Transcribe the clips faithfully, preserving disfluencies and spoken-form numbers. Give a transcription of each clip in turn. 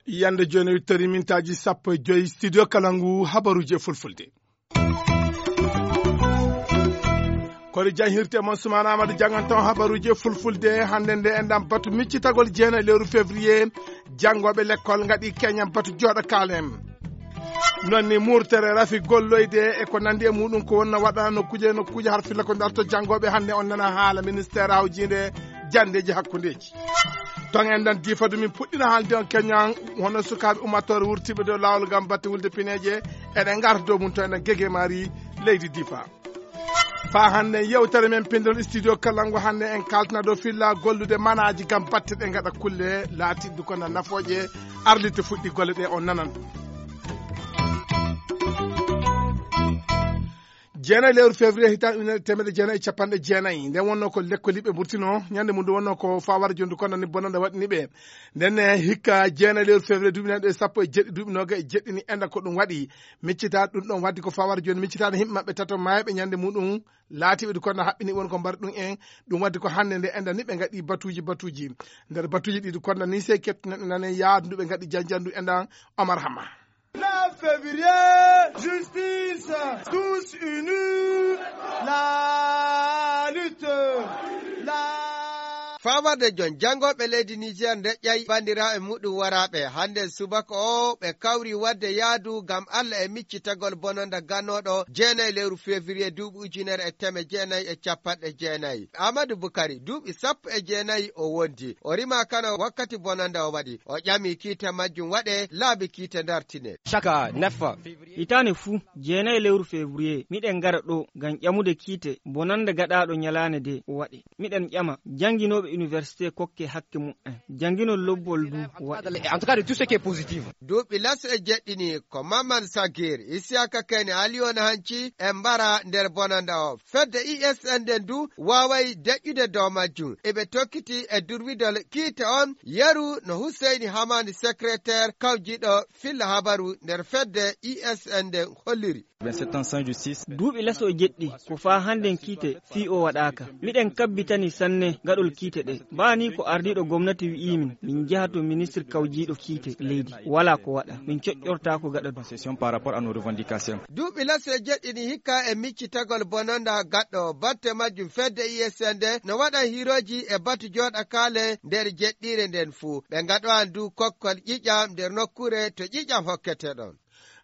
Yande jooni, wittori mintaaji sappo e joy, studio Kalangu, habaruuji e fulfulde. Kori jan hirte mon Sumaana Amadu janganton habaruuji e fulfulde. Hannde nde enɗan batu miccitagol jeenayi lewru février, janngooɓe lekkol ngaɗi keñan batu jooɗo kaalem. Non ni murtere rafi golloyde e ko nandi e muɗum ko wonno waɗa nokkuuje, nokkuuje har filla ko darto janngooɓe. Hannde on nana haala ministère hawjiinde janndeeji hakkundeeji. Ton enɗan diifa ɗum min puɗɗina haalde on keñan hono sukaaɓe ummattoore wurtiiɓe dow laawol ngam batte wulde pineeje. Eɗen ngarta dow mum to enɗan gege maari leydi diifa. Faa hannde yewtere men pinndol studio Kalangu hannde en kaltana dow filla gollude manaaji ngam batte ɗe ngaɗa kulle laatiɗe ko na nafooje arlite fuɗɗi golle ɗe on nanan. Jeenayi lewru février hitan ujunere teemedde jeenayi e capanɗe jeenayi, nden wonno ko lekkoliiɓe mburtino. Ñande mum ndu wonno ko fawara jondu kono ni bononda waɗini ɓe. Nden ne hikka jeenayi lewru février duuɓi nayi ɗo e sappo e jeɗɗi duuɓi noga e jeɗɗi ni enda ko ɗum waɗi. Miccita ɗum ɗon waddi ko fawara joni miccitaade yimɓe maɓɓe tato maayɓe ñande muɗum laatiɓe du kono haɓɓini won ko mbar ɗum en. Ɗum waddi ko hannde nde enda ni ɓe ngaɗi batuuji batuuji. Nder batuuji ɗi du kono ni sey kettu neɗɗo nane yaadu ndu ɓe ngaɗi janjandu enda Omar Hama. La février, justice, tous unis, la lutte, la. Fawarde jon janngooɓe leydi Niger ndeƴƴay banndiraaɓe muɗum waraaɓe hannde subaka o ɓe kawri waɗde yaadu ngam Allah e miccitagol bononda gannooɗo jeenayi lewru février duuɓi ujunere e teme jeenayi e capanɗe jeenayi. Amadou Boukari duuɓi sappo e jeenayi o wondi. O rima kano wakkati bononda o waɗi. O ƴami kiite majjum waɗe laabi kiite dartine. Chaque neuf février. Hitaande fuu, jeenayi lewru février, miɗen ngara ɗo ngam ƴamude kiite bonannde gaɗaaɗo ñalaande de o waɗe. Miɗen ƴama jannginooɓe université kokke hakke mumen. Jannginol lobbol du waɗe. En tout cas, de tout ce qui est positif. Duuɓi laso e jeɗɗini ko Maman Sagir, Isiyaka Kene, Aliyona Hanci e mbara nder bonannda o. Fedde I S N nden du waaway deƴƴude dow majjum. Eɓe tokkiti e durwidol kiite on, yeru no Huseyni Hamani, secrétaire kawjiiɗo filla habaru nder fedde I S N nden holliri. Vingt-sept ans sans justice. Duuɓi laso e jeɗɗi, ko faa hannden kiite fii o waɗaaka. Miɗen kabbitani sanne gaɗol kiite ɗe. Baa nii ko ardiiɗo gomnati wi'ii min, min njaha to ministir kawjiiɗo kiite leydi. Walaa ko waɗa. Min coƴƴortaako gaɗa ɗum. Concession par rapport à nos revendications. Duuɓi laso e jeɗɗi ni hikka e miccitagol bononda gaɗɗo batte majjum fedde I S N nde no waɗa hirooji e batu jooɗa kaale nder jeɗɗiire nden fuu. Ɓe ngaɗowan du kokkol ƴiƴam nder nokkuure to ƴiƴam hokkete ɗon.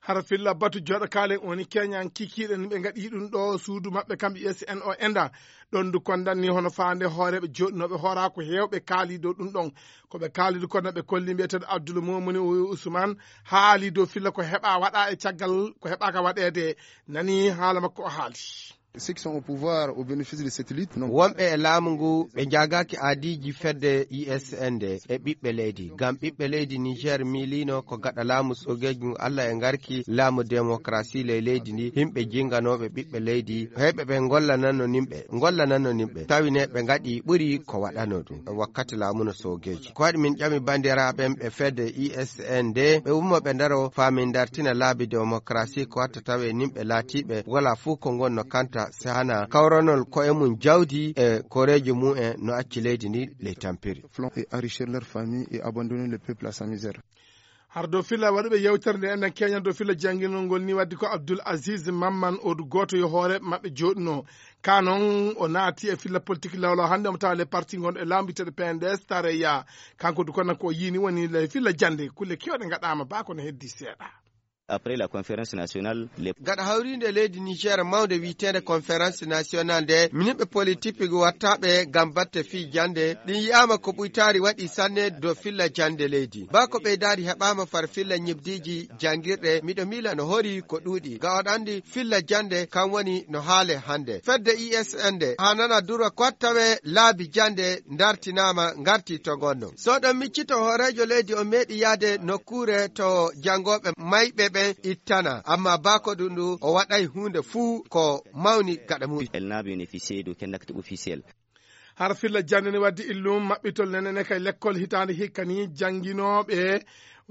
Hara filla batu jooɗa kaale woni keñan kikiiɗe ni ɓe ngaɗi ɗum ɗo suudu maɓɓe kamɓe I S N o enda. Ɗon du kondan ni hono faande hooreeɓe jooɗinooɓe hooraa ko heewɓe kaali dow ɗum ɗon. Ko ɓe kaali du kono ɓe kolli mbiyeteeɗo Abdoul Momuni Ousmane haali dow filla ko heɓa waɗa e caggal ko heɓaaka waɗeede. Nani haala makko o haali. Ceux qui sont au pouvoir au bénéfice de cette lutte, non. Wonɓe e laamu ngu ɓe njaagaaki aadiiji fedde I S N nde e ɓiɓɓe leydi. Ngam ɓiɓɓe leydi Niger miiliino ko gaɗa laamu soogeeji ngu Allah e ngarki laamu démocratie ley leydi ndi, yimɓe jinnganooɓe ɓiɓɓe leydi, heɓe ɓe ngollananno nimɓe, ngollananno nimɓe. Tawi ne ɓe ngaɗi ɓuri ko waɗano ɗum wakkati laamu no soogeeji. Ko waɗi min ƴami banndiraaɓe ɓe fedde I S N nde, ɓe ummo ɓe ndaro faa min dartina laabi démocratie ko watta tawe nimɓe laatiiɓe wala fuu ko ngonno kanta. Sehana kawranol koye mum jawdi e koreeji mum en no acci leydi ndi ley tampiri. Flon et enrichir leur famille et abandonner le peuple à sa misère. Har dow filla waɗuɓe yewtere nde enen keñan dow filla jannginol ngol ni waddi ko Abdoul Aziz Mamman Odu gooto yo hooreeɓe maɓɓe jooɗuno. Ka noon o naati e filla politique lawlaw hannde omo tawa le parti ngon e laamu biteɗo P N D S tareya. Kanko du kono ko o yiini woni le filla jannde kulle kewɗe ngaɗaama ba kono heddi seeɗa. Après la conférence nationale, les gaɗa hawriinde leydi Niger mawnde wiyeteende conférence nationale nde, minimɓe politique wattaaɓe ngam batte fii jannde ɗin yi'aama ko ɓuytaari waɗi sanne dow filla jannde leydi. Ba ko ɓeydaari heɓaama far filla ñibdiiji janngirɗe, miɗo miila no hori ko ɗuuɗi. Ga oɗo anndi filla jannde kan woni no haale hannde. Fedde I S N nde haa nana dura ko wattawe laabi jannde ndartinaama ngarti to ngonno. So ɗon miccito hooreejo leydi o meeɗi yaade nokkuure to janngooɓe mayɓe ɓen ittana, amma baako ɗum ɗum o waɗay huunde fuu ko mawni gaɗa mum. Elle n'a bénéficié d'aucun acte officiel. Arfilla jannde ne waddi illum maɓɓitol nene ne kay lekkol hitaande hikka ni jannginooɓe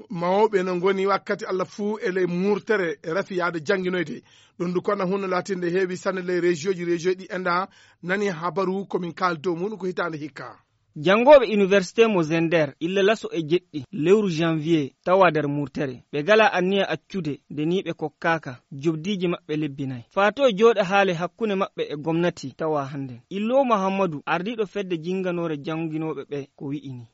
mawɓe no ngoni wakkati Allah fuu e ley murtere e rafi yaade jannginoyde. Ɗum du kono hunno laatinde heewi sanne ley région ji, région ɗi enda nani habaru ko min kaali dow muɗum ko hitaande hikka. Janngooɓe université mo Zender illa laso e jeɗɗi lewru janvier tawa nder murtere. Ɓe gala anniya accude nde ni ɓe kokkaaka jobdiiji maɓɓe lebbi nayi. Faato e jooɗa haale hakkunde maɓɓe e gomnati tawa hannden. Illo Mahammadu, ardiiɗo fedde jinnganoore jannginooɓe ɓe, ko wi'i ni.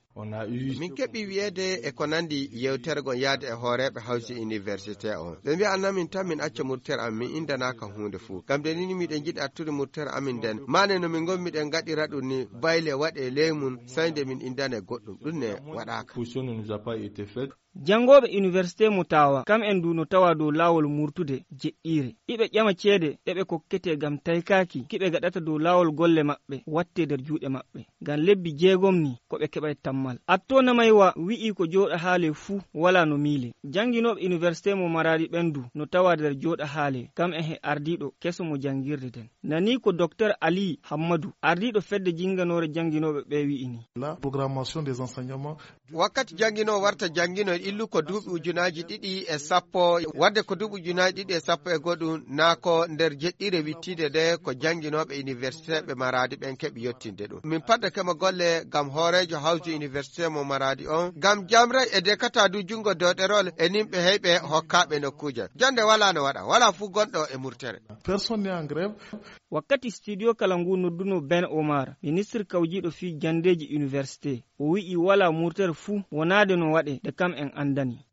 Min keɓi wiyeede e ko nanndi yewtere gon yaade e hooreeɓe hawsi université on. Ɓe mbi'a namin tan min acca murtere am, min indanaaka huunde fuu. Ngam nde ni miɗen njiɗi attude murtere amin nden. Maane no min ngommiɗen ngaɗira ɗum ni, bayle waɗe ley mum, sey nde min indane goɗɗum. Ɗum ne waɗaaka. Janngooɓe université mo Tawa, kam en du no tawa dow laawol murtude jeɗɗiire. Iɓe ƴama ceede ɗe ɓe kokkete ngam taykaaki ki ɓe gaɗata dow laawol golle maɓɓe watte nder juuɗe maɓɓe. Ngam lebbi jeegom ni ko ɓe keɓay tammal. Atto Namaywa wi'i ko jooɗa haale fuu wala no miile. Jannginooɓe université mo Maraɗi ɓen du no tawa nder jooɗa haale, kam e he ardiiɗo keso mo janngirde nden. Nani ko Docteur Ali Hammadu, ardiiɗo fedde jinnganoore jannginooɓe ɓe wi'i ni. La programmation des enseignements. Wakkati janngino warta janngino illu ko duuɓi ujunaaji ɗiɗi e sappo, wadde ko duuɓi ujunaaji ɗiɗi e sappo e goɗɗum, naa ko nder jeɗɗire wittiinde nde ko jannginooɓe université ɓe Maraadi ɓen keɓi yottinde ɗum. Min paddake mo golle ngam hooreejo hawti université mo Maraadi on, ngam jamray e dekata du junngo dow ɗerol e nimɓe heyɓe hokkaaɓe nokkuuje. Jannde walaa no waɗa, walaa fuu gonɗo e murtere. Personne n'est en grève. Wakkati studio kala ngu nodduno Ben Omar, ministre kawjiiɗo fii janndeeji université, o wi'i walaa murtere fuu wonaade no waɗe nde kam en anndani.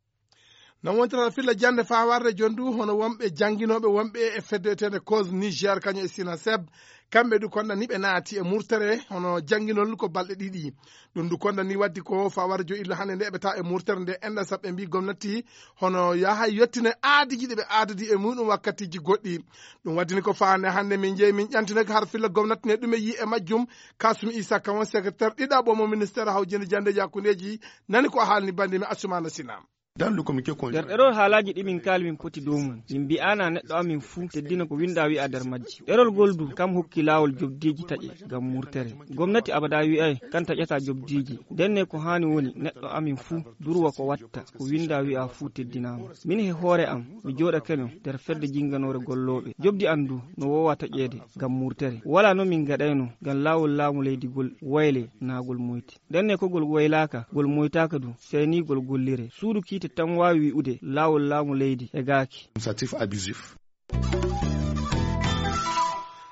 No wontira filla jannde faa warde jon du, hono wonɓe jannginooɓe wonɓe e fedde wiyeteende Cause Niger, kañum e Sinaseb, kamɓe du konda ni ɓe naati e murtere, hono jannginol ko balɗe ɗiɗi. Ɗum du konda ni waddi ko faa warde jon illa hannde nde eɓe taa e murtere nde enda saɓɓe mbi gomnati hono yaha yottine aadiji ɗi ɓe aadodi e muɗum wakkatiji goɗɗi. Ɗum waddini ko faande hannde min jeyi min ƴantinaki har filla gomnati ne ɗume yi e majjum. Kasum Isa Kawon, secrétaire ɗiɗaɓo mo ministère hawjinde janndeeji hakkundeeji, nani ko haalni bannde mi Asumana Sina. Dans le communiqué conjoint. Nder ɗerol haalaaji ɗi min kaali min poti dow mum, min mbi'aana neɗɗo amin fuu teddina ko winda wi'a nder majji. Ɗerol ngol du kam hokki laawol jobdiiji taƴe ngam murtere. Gomnati abada wi'ay kan taƴata jobdiiji. Ndenne ko haani woni neɗɗo amin fuu durwa ko watta, ko winda wi'a fuu teddinaama. Min he hoore am, mi jooɗakeno nder fedde jinnganoore gollooɓe. Jobdi am du no woowa taƴeede ngam murtere. Walaa no min ngaɗayno ngam laawol laamu leydi ngol wayle naa ngol moyti. Ndenne ko ngol waylaaka, ngol moytaaka du, sey ni ngol gollire. Suudu kiite tan waawi wi'ude laawol laamu leydi hegaaki. Administratif abusif.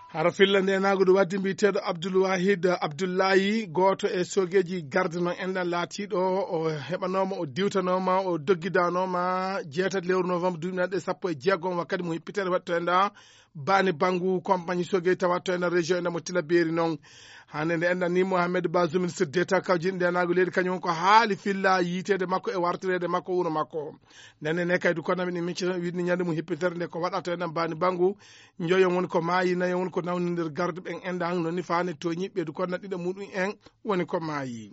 Hara filla nde naago ɗo waddi mbiyeteeɗo Abdoul Wahid Abdoulaye, gooto e soogeeji garde noon enɗan laatiiɗo, o heɓanooma, o diwtanooma, o doggidanooma jeetati lewru novembre duuɓi naɗe sappo e jeegom wakkati mo hippitere waɗto enɗa Bani Bangu, compagnie soogeeji tawa to enɗan région enɗan mo Tila Beeri noon. Hannde nde enɗan ni Mohamed Bazoum, ministre d'État kawjin nde naago leydi, kañum ko haali filla yiiteede makko e wartireede makko wuro makko. Ndenne ne kaydu kono min micci wiɗni ñande mum hippitere nde ko waɗata enɗan Bani Bangu. Njoyon woni ko maayi, nayon woni ko nawni nder garduɓe en enɗan, noon ni faane tooñiɓe du kono ɗiɗo muɗum en woni ko maayi.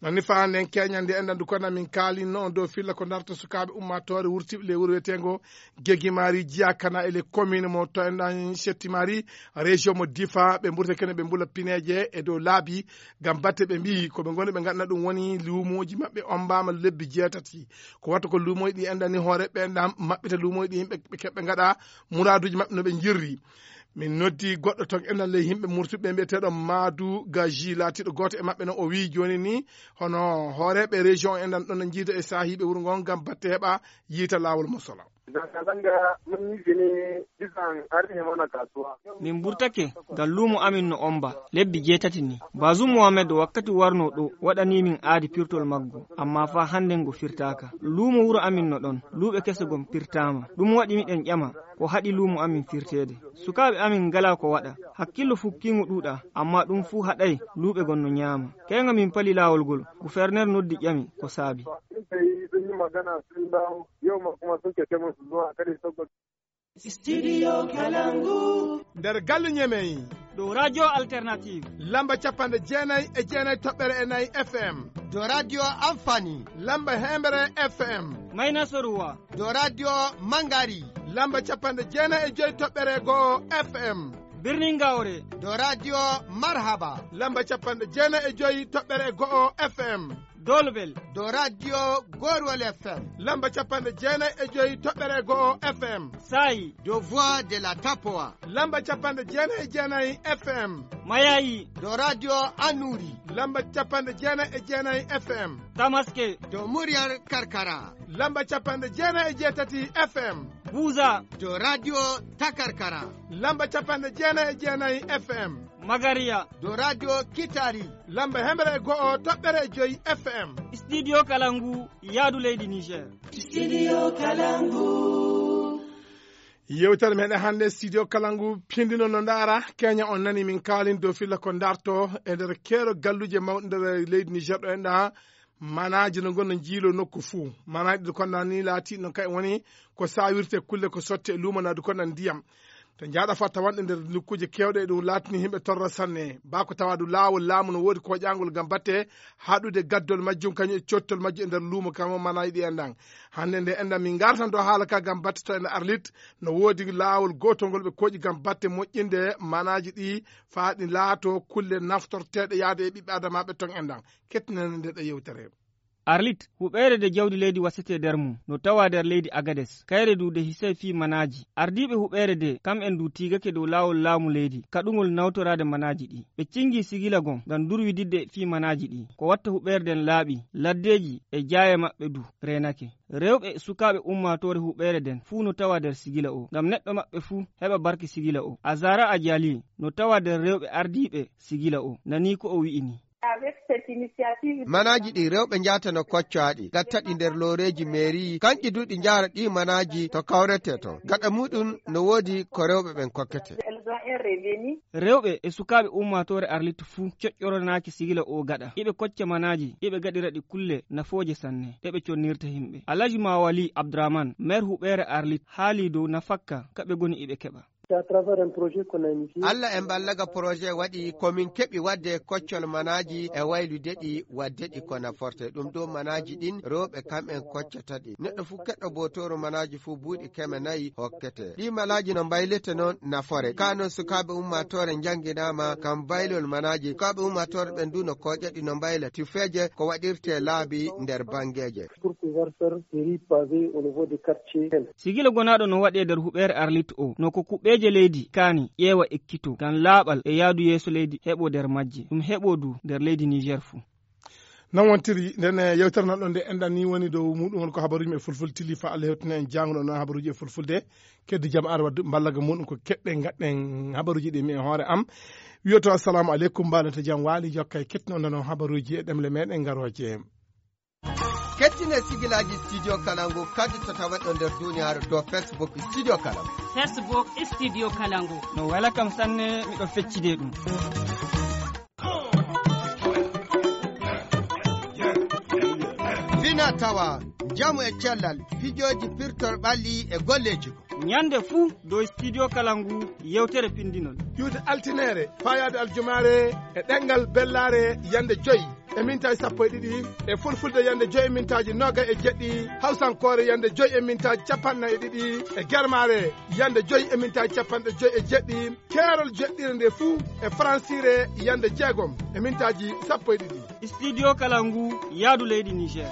Noon ni faande en keñande enɗan du kono min kaalino on dow filla ko darta sukaaɓe ummaatoore wurtiiɓe ley wuro wiyeteengo Gegimari Jiyakana e le commune mo to enɗan Settimari, région mo Difa, ɓe mburta kene ɓe mbula pineeje e dow laabi ngam batte ɓe mbiyi ko ɓe ngoni ɓe ngaɗna ɗum woni luumooji maɓɓe ombaama lebbi jeetati. Ko watta ko luumooji ɗi enɗan ni hoore ɓe enɗan maɓɓita luumooji ɗi yimɓe ɓe keɓɓe ngaɗa muraaduuji maɓɓe no ɓe njirri. Min noddi goɗɗo toon enɗan ley yimɓe murtuɓe mbiyeteeɗo Maadu Gaji laatiiɗo gooto e maɓɓe noon o wiyi jooni ni hono hooreeɓe région enɗan ɗon no njiida e saahiiɓe wuro ngon ngam batte heɓa yiita laawol mo sola. Zanga-zanga mun yi shi ne bisan har ne mana kasuwa. Min mburtake ngam luumo amin no omba lebbi jeetati ni. Bazum Mohamed wakkati warno ɗo waɗani min aadi pirtol maggo, amma faa hannden ngo firtaaka. Luumo wuro amin no ɗon, luuɓe kese gom pirtaama. Ɗum waɗi miɗen ƴama ko haɗi luumo amin firteede. Sukaaɓe amin ngalaa ko waɗa. Hakkillo fukkiingo ɗuuɗaa, amma ɗum fuu haɗay luuɓe gon no ñaama. Keeŋa min pali laawol ngol, guferner noddi ƴami ko saabi. Sun tafi sun yi magana sun dawo, yau ma kuma sun ce musu zuwa kare saboda. Studio Kalangu. Nder galle Ñemey. Ɗo Radio Alternative. Lamba capanɗe jeenay e jeenay toɓɓere e nayi F M. Ɗo Radio Amfani. Lamba heemere F M. Mayna Soruwa. Ɗo Radio Mangari. Lamba capanɗe jeenay e joy toɓɓere go'o F M. Birnin Gawre. Do radio Marhaba. Lamba capanɗe jeenayi e joyi toɓɓere go'o F M. Dolbel. Do radio Gorwol F M. Lamba capanɗe jeenayi e joyi toɓɓere go'o F M. Sayi. Do Voix de la Tapoa. Lamba capanɗe jeenayi e jeenayi F M. Mayayi. Do radio Anuri. Lamba capanɗe jeenayi e jeenayi F M. Tamaske. Do Muryar Karkara. Lamba capanɗe jeenayi e jeetati F M. Buza. Do radio Takarkara. Lamba capanɗe jeenayi e jeenayi F M. Magariya. Do radio Kitari. Lamba hemre e go'o toɓɓere e joyi F M. Studio Kalangu, yaadu leydi Niger. Studio Kalangu. Yewtere meɗen hannde, Studio Kalangu, pindino no ndaara, Kenya on nani min kaalin dow filla ko ndarto e nder keero galluuje mawɗe nder leydi Niger ɗo enɗa. Manaaji no ngonno jiilo nokku fuu. Manaaji ɗi konna ni laati no kay woni ko sawirte kulle ko sotte e luumo na du konna ndiyam. To njaaɗa fatta wonde nder nokkuuje keewɗe ɗum laatini yimɓe torra sanne. Ba ko tawa du laawol laamu no woodi koƴaangol ngam batte haɗude gaddol majjum kañum e cottol majjum e nder luumo kam o manaaji ɗi enɗan. Hannde nde enɗan min ngartan ɗo haala ka ngam batte to ene Arlit no woodi laawol gootol ngol ɓe koƴi ngam batte moƴƴinde manaaji ɗi faa ɗi laato kulle naftorteeɗe yaade e ɓiɓɓe adamaaɓe ton enɗan. Kettinene nde ɗo yewtere. Arlit, huɓeere de jawdi leydi wasete nder mum, no tawa nder leydi Agades. Kayre du de hisay fii manaaji. Ardiiɓe huɓeere de, kam en du tiigake dow laawol laamu leydi, kaɗungol nawtoraade manaaji ɗi. Ɓe cingi sigila gon ngam durwididde fii manaaji ɗi. Ko watta huɓeere den laaɓi, laddeeji e jaaye maɓɓe du reenake. Rewɓe e sukaaɓe ummaatoore huɓeere den fuu no tawa nder sigila o, ngam neɗɗo maɓɓe fuu heɓa barke sigila o. Azara Ajali no tawa nder rewɓe ardiiɓe sigila o. Nanii ko o wi'i ni. Manaaji ɗi rewɓe njaata no koccoaɗi, gatta ɗi nder looreeji meeri, kanƴi du ɗi njaara ɗi manaaji to kawrete ton. Gaɗa muɗum no woodi ko rewɓe ɓen kokkete. Rewɓe e sukaaɓe ummaatoore Arlit fuu coƴƴoronaaki sigila o gaɗa. Iɓe kocca manaaji, iɓe gaɗira ɗi kulle nafooje sanne, ɗe ɓe connirta himɓe. Alhaji Mawali Abdurahman, maire huɓeere Arlit, haali dow nafakka ka ɓe goni iɓe keɓa. Alla en ballaga projet waɗi ko min keɓi waɗde koccol manaaji e waylude ɗi waɗde ɗi ko naforte. Ɗum dow manaaji ɗin rewɓe kam en koccata ɗi. Neɗɗo fuu keɗɗo bootooru manaaji fuu buuɗi keme nayi hokkete. Ɗi manaaji no mbaylete noon nafore. Ka noon sukaaɓe ummaatoore njannginaama kam baylol manaaji. Sukaaɓe ummaatoore ɓen du no kooƴa ɗi no mbayla tufeeje ko waɗirte laabi nder banngeeje. Pour pouvoir faire des rues pavées au niveau des quartiers. Sigila gonaaɗo no waɗee nder huɓeere Arlit o, no ko kuɓeeje leydi kaani ƴeewa ekkitoo, ngam laaɓal e yaadu yeeso leydi heɓoo nder majje, ɗum heɓoo du nder leydi Niger fuu. Non wontiri, nden, eh, yewtere nan ɗon nde enɗan ni woni dow muɗum won ko habaruuji men e fulfulde tilli fa Allah hewtina en jaango ɗon habaruuji e fulfulde. Keddi jam ar waddu mballaga muɗum ko keɗɗen ngaɗɗen habaruuji ɗi mi e hoore am. Wiyoto assalamu aleykum, mbaɗen to jam waali, jokka e kettino nano habaruuji e ɗemle meɗen ngarooje. Kettine sigilaaji Studio Kalangu kadi to tawaɗo nder duniyaaru to Facebook Studio Kalangu. Facebook Studio Kalangu. No wela kam sanne, miɗo feccide ɗum. Fina tawa, njamu e cellal, fijooji pirtor ɓalli e golleeji ko. Ñande fuu dow Studio Kalangu yewtere pindinol. Iwde altineere, fayaade aljumaare e ɗemngal bellaare yande joy e mintaaji sappo e ɗiɗi, e fulfulde yande joy e mintaaji noga e jeɗɗi, hawsankoore yande joy e mintaaji capanɗe nayi e ɗiɗi, e germaare yande joy e mintaaji capanɗe joy e jeɗɗi, keerol joɗɗire nde fuu e faransiire yande jeegom e mintaaji sappo e ɗiɗi. Studio Kalangu, yaadu leydi Niger.